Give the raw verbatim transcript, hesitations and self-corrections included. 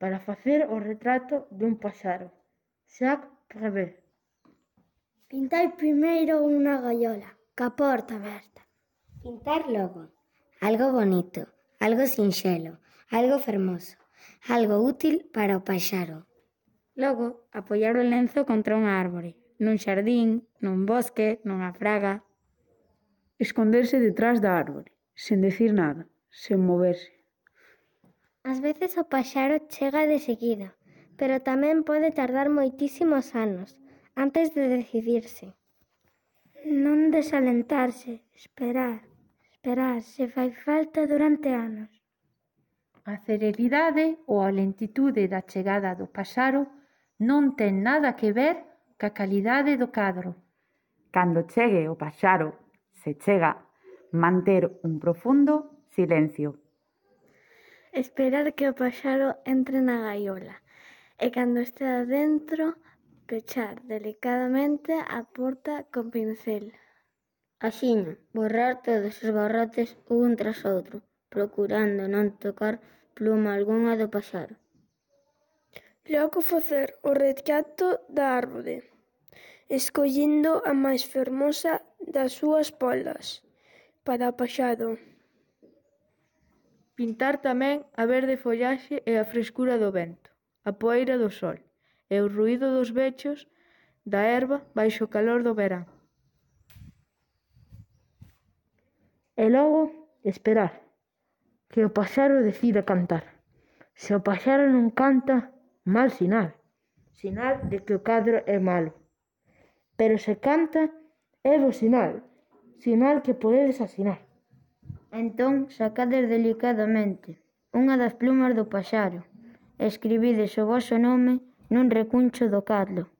para facer o retrato dun paxaro. Jacques Prévert. Pintar primeiro unha gaiola, ca porta aberta. Pintar logo algo bonito, algo sinxelo, algo fermoso, algo útil para o paxaro. Logo, apoiar o lenzo contra unha árbore, nun xardín, nun bosque, nunha fraga. Esconderse detrás da árbore, sen dicir nada, sen moverse. Ás veces o paxaro chega de seguida, pero tamén pode tardar moitísimos anos antes de decidirse. Non desalentarse, esperar, esperar, se fai falta durante anos. A celeridade ou a lentitude da chegada do paxaro non ten nada que ver ca calidade do cadro. Cando chegue o paxaro, se chega, manter un profundo silencio. Esperar que o paxaro entre na gaiola e cando estea dentro, pechar delicadamente a porta con pincel. Axiña, borrar todos os barrotes un tras outro, procurando non tocar pluma algunha do paxaro. Logo facer o retrato da árbore, escollendo a máis fermosa das súas pólas para o paxaro. Pintar tamén a verde follaxe e a frescura do vento, a poeira do sol e o ruído dos bechos da herba baixo o calor do verán. E logo, esperar, que o paxaro decida cantar. Se o paxaro non canta, mal sinal, sinal de que o cadro é malo. Pero se canta, é bo sinal, sinal que podedes asinar. Entón, sacades delicadamente unha das plumas do paxaro e escribides o voso nome nun recuncho do cadro.